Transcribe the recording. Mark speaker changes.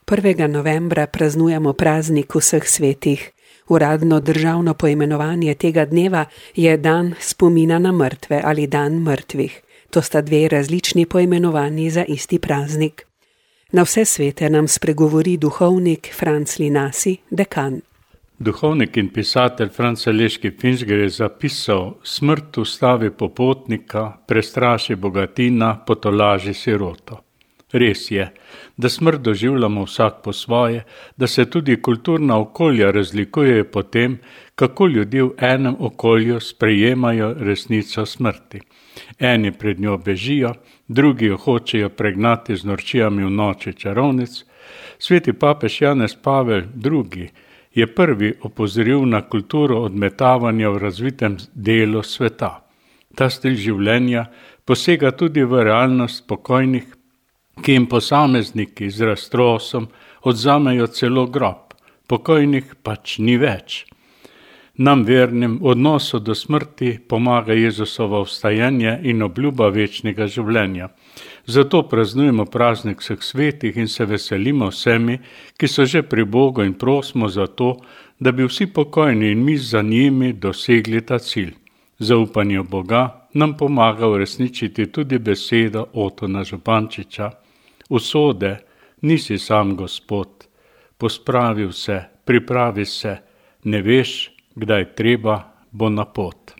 Speaker 1: 1. novembra praznujemo praznik vseh svetih. Uradno državno poimenovanje tega dneva je dan spomina na mrtve ali dan mrtvih. To sta dve različni poimenovanji za isti praznik. Na vse svete nam spregovori duhovnik Franc Linasi, dekan.
Speaker 2: Duhovnik in pisatelj Franc Aleški Finžger je zapisal: smrt ustavi popotnika, prestraši bogatina, potolaži siroto. Res je, da smrt doživljamo vsak po svoje, da se tudi kulturna okolja razlikujejo po tem, kako ljudje v enem okolju sprejemajo resnico smrti. Eni pred njo bežijo, drugi jo hočejo pregnati z norčijami v noči čarovnic. Sveti papež Janez Pavel II. Je prvi opozoril na kulturo odmetavanja v razvitem delu sveta. Ta stil življenja posega tudi v realnost pokojnih, ki jim posamezniki z raztrosom odzamejo celo grob. Pokojnih pač ni več. Nam vernim v odnosu do smrti pomaga Jezusovo vstajanje in obljuba večnega življenja. Zato praznujemo praznik vseh svetih in se veselimo vsemi, ki so že pri Bogu, in prosimo za to, da bi vsi pokojni in mi za njimi dosegli ta cilj. Zaupanje v Boga nam pomaga uresničiti tudi besedo Otona Župančiča: usode, nisi sam Gospod, pospravi se, pripravi se, ne veš, kdaj treba, bo na pot.